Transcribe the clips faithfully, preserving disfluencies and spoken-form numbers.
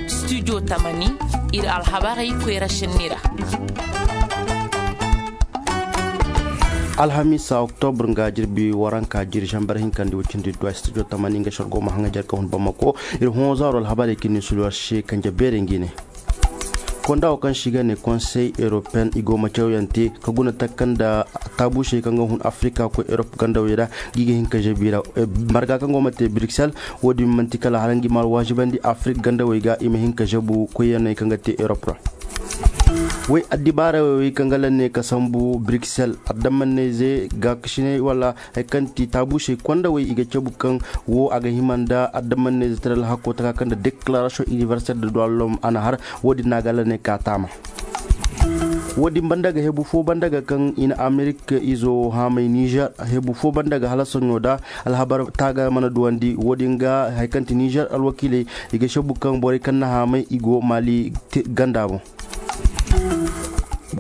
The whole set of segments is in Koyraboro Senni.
Studio tamani, ir alhabarey koyra šenni ra. Alhamiisa oktobur nga jirbi waranka jiri zambar hinkandi woy cindi duwa studio tamani nga šargo ma haŋa jarka hun bamako. Ir hõ zaaro alhabarey kinni sulwar se kanje beere ngi ne. Konda wo kaŋ se i ga ne konsey european i go ma cawyaŋ te ka guna taka nda taabuusey kaŋ ga hun afrika koy erop gandawey ra, ga i ga hin ka žebi ra. Marga kaŋ go ma te bruxelles, wo- din man'ti kala hala ngi ma alwaazibandi afrik gandawey ga i ma hin ka žebu koyyaŋey kaŋ ga te erop ra. Way addibaara wey kaŋ ga lanne ka sambu bruxelles addamanne ze gaakasiney wala haya kaŋ ti taabuusey konda wey i ga cabu kaŋ wo a ga hima nda addamanne ze tara alhakko taka kaŋ nda deklarasion iniversel de duwallom a na har. Wo- din no a ga lanne ka taama. Wo- din banda ga hebu fo banda ga kaŋ i na amerik izo haamay nizer hebu fo banda ga hala soɲo da alhabar taaga mana duwandi wo- din ga haya kaŋ ti nizer alwakiiley i ga cabu kaŋ borey kaŋ na haamay i go maali ganda boŋ.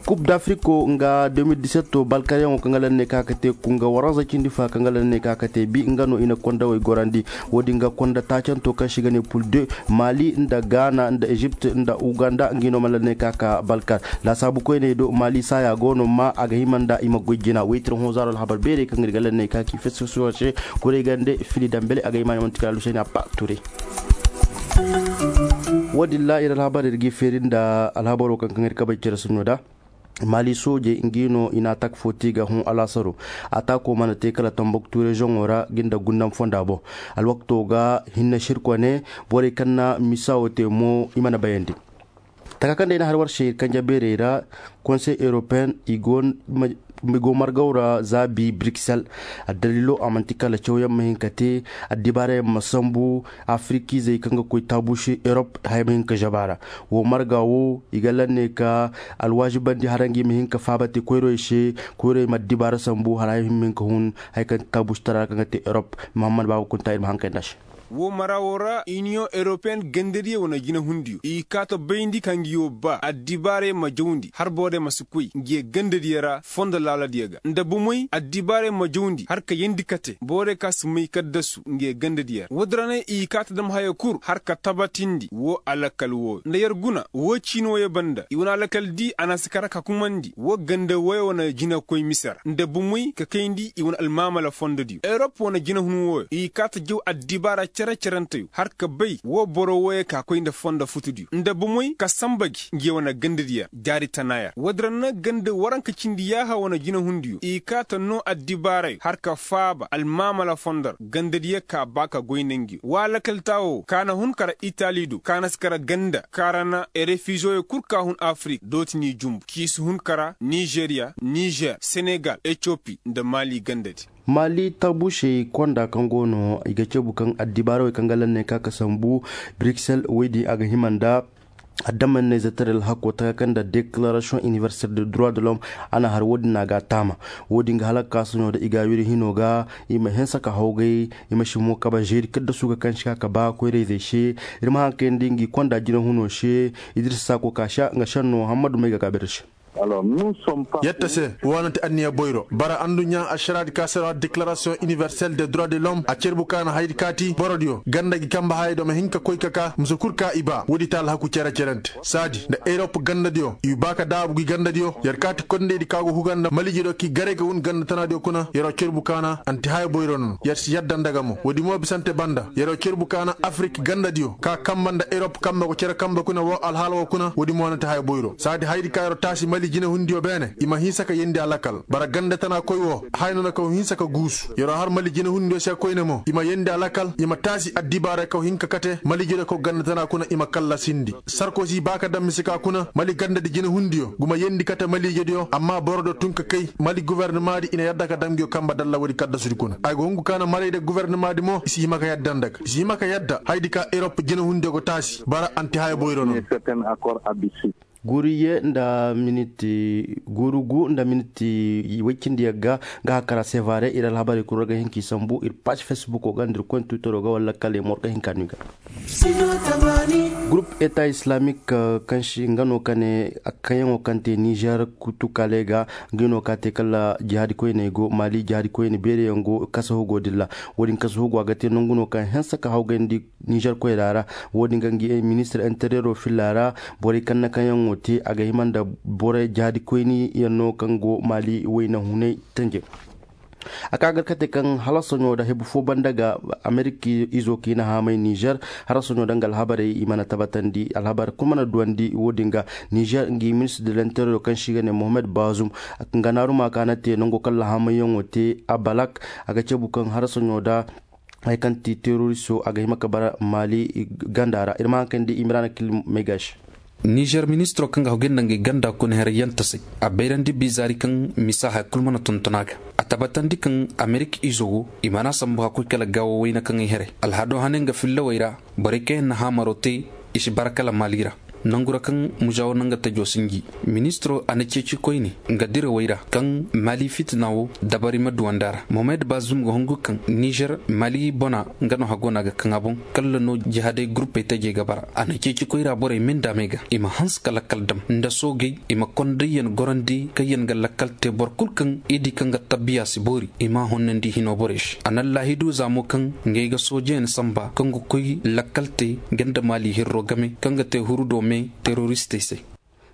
Kub d'afriko nga deux mille dix-sept balkaryaŋo kaŋ ga lanne ka ka te kunga waranza cindi fa kaŋ ga lanne ka ka te bi nga no i na kondawey gorandi. Wo- din ga konda taacanto kaŋ se i ga ne pul deux, mali nda gaana nda ezipt nda uganda ngi no ma lanne ka ka balkar. Laasaabu koyney do mali saaya go no ma a ga hima nda i ma goy jina woy tira hõ zaaro alhabar beerey kaŋ ir ga lanne ka k'i fesfesuwa se. Kurey gande fili dambele a ga hima ni manti kala luseni a ba turay. Wo- din ra ir alhabar ir g'i feeri nda alhabaro kaŋ kaŋ ir kabay cere suɲo da. Maali soojey ngi no i na atak fo te i ga hõ alaasaro. Atako mana te kala tambaktu reziyoŋo ra ga nda gundam fonda boŋ. Alwakto ga hinne sirkone borey kaŋ na misa wo te mo i mana bayandi. Taka kaŋ day na har war se ir kanje beerey ra konsey european i go margaw ra za bi bruxelles. Addalilo a man'ti kala cawyaŋ ma hin ka te addibaarayaŋ ma sambu afrikizey kaŋ ga koy taabuusi erop haya ma hin ka žaba ra. Wo marga wo i ga lanne ka alwaazibandi hara ngi ma hin ka faaba te koyrey se. Koyrey ma addibaara sambu hara haya ma hin ka hun haya kaŋ ti taabuusitara ra kaŋ ga te erop. Muhammad baaba kunta ir ma hankay nda se. Wo mara wo ra iniyoŋ europeyen gandadiyo wane jinahundiyo i kaa ta bayndi ka ngi wo ba addibaarey ma jawndi har borey ma si koy ngi ye gandadiyo ra fondo laaladiyo ga nda bomey addibaarey ma jawndi har ka yeendi kate borey ka si may kaddasu ngi ye gandadiyo ra woodin ra ne i kaa ta dam haya kul har ka tabatindi wo alakal wooyo nda yer guna woo ciini wooyo banda i wane alakal di a na si kar ka kumandi woo ganda wooyo wane jinakoy mise ra nda bomey ka kayndi i wane almaamala fondodiyo erop wane jinahun wooyo i kaa ta jaw addibaara cere-cerenteyo har ka bay woo boro wooyo ka koy nda fondo futudiyo nda bomey ka samba gi ngi wane gandadiyo ra jaari tanaaya woodin ra na ganda waranka cindi yaaha wane jinahundiyo i kaa ta noo addibaarayo har ka faaba almaamala fondo ra gandadiyo ka ba ka goy nda ngiyo woo alakal taa woo ka na hun kara itali do ka na si kara ganda ka ra na erefizoyo kul ka hun afirik dooti n'i jumbu k'i si hun kara nizeriya nizer senegal etiyopi nda mali gandadi. Mali taabusey konda kaŋ go no i ga ceebu kaŋ addibaara wey kaŋ ga lanney ka ka sambu bruksel wey din a ga hima nda adamanney zetaray alhakko taka kaŋ nda deklarasion iniversel de droit de l'homme. A na har wo-din no a ga a taama wo-din ga hala ka ka soɲo nda i ga a wiri hino ga i ma hinsa ka hawgay i ma si mo kaba zeeri kaddasu ga kaŋ si ka ka ba koyrayzey se. Ir ma haŋ kayandi ngi konda jinahuno se. Idirisa saako ka si a nga senno hammadu may ga ka bir se. Yatta se waana ti anniya boyro bara anduɲɲa ašaraadi ka sara deklarasiyoŋ iniversel de droit de l'homme a cerbu ka na hayadi ka ti borodiyo ganda gi kamba hayadiyo ma hin ka koy ka ka muso kul ka i ba woodi ti alhaku cere-cerente saadi nda erop gandadiyo i ba ka daabu gi gandadiyo yer ka ti kondeydi ka go huga nda maliijediyo k'i garay ka wun ganda tanaadiyo kuna yer'o cerbu ka na anti haya boyro no yer si yadda nda ga mo woodi mo bisante banda yer'o cerbu ka na afirik gandadiyo ka kamba nda erop kamba go cere kamba kuna woo alhaala woo kuna woodi mo na ti haya boyro saadi hayadi ka yer'o taasi mali jinehundiyo beene i ma hinsa ka yendi alakal bara ganda tana koy woo haya no na ka hinsa ka guusu yer'o har mali jinehundiyo se koyne mo i ma yendi alakal i ma taasi addibaaray ka hin ka kate maliijediyo ka go ganda tana kuna i ma kallasindi sarkosi ba ka daŋ mise ka kuna mali gandadi jinehundiyo guma yendi kate maliijediyo amma borodiyo tun ka kay mali gofornamaadi i na yadda ka daŋ nguyo kamba dalla woodi kaddasudi kuna ay go hungu ka na marayda gofornamaadi mo i si hima ka yadda nda ga i si hima ka yadda hayadi ka erop jinehundiyo go taasi bara anti haya boyro no. Guruye nda miniti gurugu nda miniti waycindi yagga. Nga hakara sevare ir alhabarey kul ra ga hin k'i sambu ir paaci fesbuko ga nda ir koyne twitero ga wala lakkale mor ga hin ka no i ga. Gurup eta islamik kaŋ si nga no ka ne kaŋyaŋo kaŋ te nizer kutukaley ga. Nga no ka te kala jihaadi koyney go mali jihaadi koyne beereyaŋ go kasahugo din ra. Wo-din kasahugo a ga te nangu no kaŋ hanse ka hawgayndi nizer koyra ra. Wo-din ga ngi ministir interiyero filla ra. Borey kaŋ na kaŋyaŋo te a ga hima nda borey jihaadi koyni yaŋ no kaŋ go mali wayna hunay tanje. A ka gar kate kaŋ hala soɲo da hebu fo banda ga amerik izo kaŋ i na haamay nizer. Hala soɲo da nga alhabarey i mana tabatandi alhabar kul mana duwandi wo-din ga. Nizer ngi ministir de l'interior kaŋ se i ga ne mohammed bazum. Nga naaruma ka na te nango kaŋ lahamayyaŋo te a balak. A ga cabu kaŋ hala soɲo da hari kaŋ ti teroristo a ga hima ka bara mali ganda ra ir ma haŋ kaŋ di imrana kil megash. Nizer ministiro kaŋ ga hogay nda ngey ganda kuna heray yaŋ tasay a bayrandi bizaari kaŋ misa haya kul mana tontona ga. A tabatandi kaŋ amerik izo wo i mana sambu hakkoy kala gaawo wayna kaŋ ay heray alhado hane nga fillawey ra. Borey kaŋ yaŋ na haamaro te i si bara kala mali ra. Nangu ra kaŋ muzawo na nga tajo sinji ministiro a na ceeci koyne nga dirawey ra kaŋ mali fitina wo dabari ma duwandi a ra mohammed bazum ga hungu kaŋ nizer mali bona nga no hago no a ga kaŋ a boŋ. Kalla no jihaaday gurpey tajey ga bara a na ceeci koyra borey mindaamey ga i ma hanse ka lakkal dam nda soogey i ma kondayyaŋ gorandi kaŋyaŋ ga lakkal te boro kul kaŋ i di kaŋ ga tabbiya si boori i m'a honnandi hino borey se a na allaahidu za mo kaŋ ngey ga soojeyaŋ samba kaŋ ga koy lakkal te nga nda maali hirro game kaŋ ga te hurudo me teroristey se.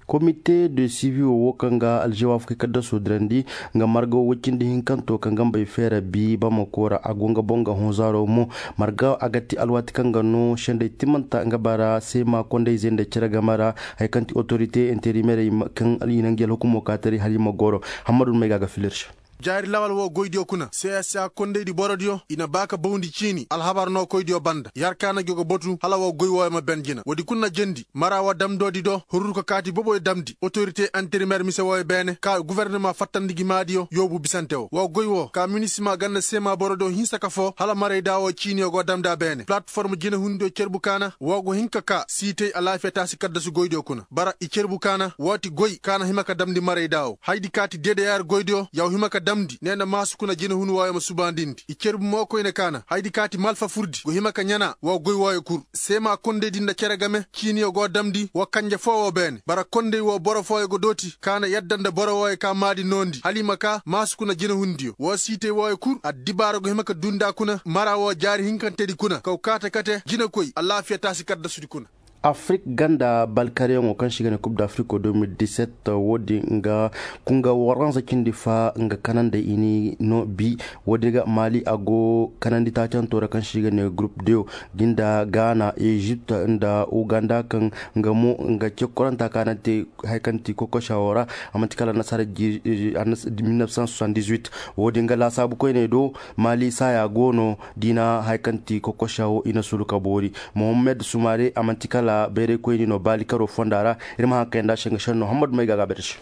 Komite de sivi wo wo kaŋ ga alžawaaf kay kaddaso dirandi nga marga wo cindi hinkanto kaŋ ga mbay feera bi bamako ra a go nga boŋ ga honzaaro mo. Marga a ga ti alwaati kaŋ ga no sendey timanta nga bara seema kondayzey nda cere game ra. Hari kaŋ ti otorite interimerey kaŋ i na ngi alhukumo kaatari hala i ma goro. Hammadu may ga a ga filir se. Jaari lawal wo goydiyo kuna csa kondaydi borodiyo i na ba ka bawndi ciini alhabar no koydiyo banda yer ka na gi go batu hala wo goy wooyo ma ben jina woodi kul na jendi mara wa damdoodi do hururu ka kaati boboyo damndi otorite interimer mise wooyo beene ka gubernama fattandi gi maadiyo yoobu bisante wo wa goy wo ka minisima ganda seema borodiyo hinsa ka foo hala marayda wo ciiniyo go damnda beene palatform jinehundiyo cerbu kaana wa go hin ka kaa siitey alaafiya taasi kaddasu goydiyo kuna bara i cerbu kaana wa ti goy kaana hima ka damndi marayda wo haydi kaati deedeyaar goydiyo ya wa hima ka damndi nee nda maasu kuna jinehun wooyo ma subaandindi i cerbu mo koyne kaana haydi kaati malfa furdi go hima ka ɲana wa goy wooyo kul seema kondaydi nda cere game ciiniyo go damndi wa kanje foo wo beene bara konday wo boro fooyo go dooti kaana yadda nda boro wooyo ka maadi noondi hala i ma kaa maasu kuna jinehundiyo wa siitey wooyo kul addibaara go hima ka duu nda kuna mara wo jaari hinkantedi kuna kaw kaate kate jinekoy alaafiya taasi kaddasudi kuna. Afrik ganda balkaryaŋo kaŋ se i ga ne kub da afrik deux mille dix-sept wo-din nga kunga waranza cindi fa nga kanandey i n'i no bi. Wo-din ga mali a go kanandi taacanto ra kaŋ se i ga ne gurup deux, ginda gaana ezipt nda uganda kaŋ nga mo nga ce koranta ka naŋ te hari kaŋ ti kokosa wo ra. A manti kala nasaara mil neuf cent soixante dix huit wo-din ga laasaabu koyney do. Mali saaya go no da i na hari kaŋ ti kokosa wo i na sulu ka boori. Mohammed sumare a manti kala bayraykoyni no baali karo fonda ra. Ir ma haŋ kayanda se nga senno hammadu may ga a gaabay da se.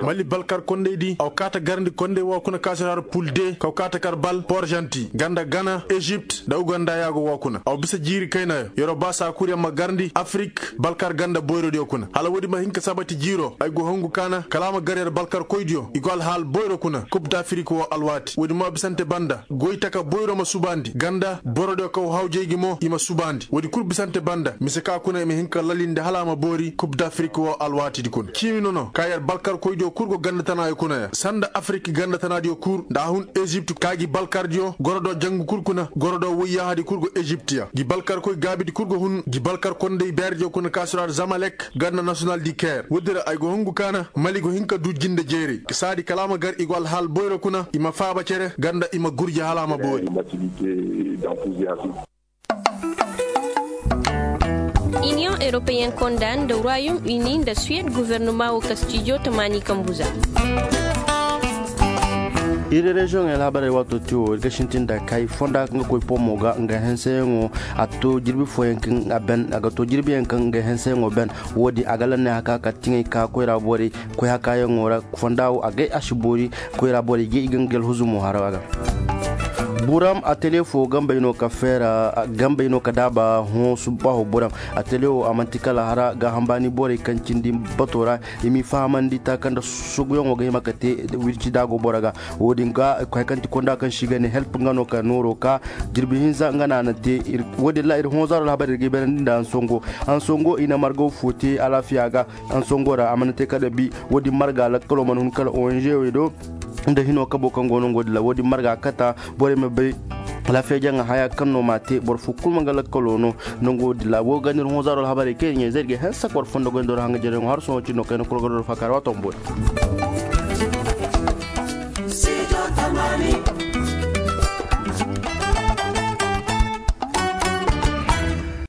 Mali balkar kondaydi a wa kaata garandi konday wo kuna ka si har pulde ka wa kaata kar bal porjanti ganda gana ezipt nda uganda yaago wo kuna a wa bisa jiiri kaynayo yer wo ba saakuriyaŋ ma garandi afrik balkar ganda boyrodiyo kuna hala woodi ma hin ka sabati jiiro ay go hangu kaana kala a ma gar yer balkar koydiyo i go alhaal boyro kuna kub da afrik wo alwaati woodi mo a bisante banda goy taka boyro ma subaandi ganda borodiyo kaw hawjay gi mo i ma subaandi woodi kul bisante banda mise ka kuna i ma hin ka lalindi hala a ma boori kub da afrik wo alwaatidi kuna ciimi nono ka yer balkarkoydiyo kul go ganda tanaayo kuna ya sanda afrik ganda tanaadiyo kul nda a hun ezipt ka gi balkardiyo gorodo jangu kul kuna gorodo woyyaahadi kul go ezipt ya gi balkarkoy gaabidi kul go hun gi balkar konday beerdiyo kuna ka suraadi zamalek ganda nasonal di ker woodi ra ay go hungu kaana mali go hin ka du jinde jeeray saadi kala a ma gar i go alhaal boyro kuna i ma faaba cere ganda i ma gurja hala a ma boori. Iniyoŋ europeyen konda nda royaume uni nda suwed guvernuma wo kastijo tamaani kambu za. Iri reziyoŋey alhabarey waato ti wo ir ga sintin nda kay fonda kaŋ ga koy pomo ga nga henseyaŋo a to jirbi fooyaŋ kaŋ a ben a ga to jirbiyaŋ kaŋ nga henseyaŋo ben. Wo-din a ga lanney haka ka tiŋey ka koyra borey koy hakayaŋo ra fonda wo a gay a si boori koyra borey ga i ga nga alhuzumo haro a ga. Buram ateliye fo gambey no ka feera gambey no ka daaba hõ subbaaho buram. Ateliye wo a man'ti kala hara ga hambaani borey kaŋ cindi bato ra i m'i fahamandi taka nda suguyaŋo ga hima ka te wirci daago boro ga. Wo-din ga hay kaŋ ti konda kaŋ si ga ne help nga no ka nooro ka jirbi hinza nga no a na te. Wo-din ra ir hõ zaaro alhabar ir ga i bayrandi nda hansongo. Hansongo i na margaw fo te alaafiya ga. Hansongo ra a mana te kala bi. Wo-din marga lakkalo mana hun kala ong wey do nda hino kabo kaŋ go no ngo dilla wo-din marga kata. Borey ma bay lafiya jaŋa haya kaŋ no ma te boro fo kulu ma nga lakkalo no. Nango dilla wo ga nir hõ zaaro alhabarey kaŋ i ɲey zay ir ga hanse boro fondo goy ndoro hanga jere ŋo har sohõ cin no kayna kulu ga doro fakar wato mboy.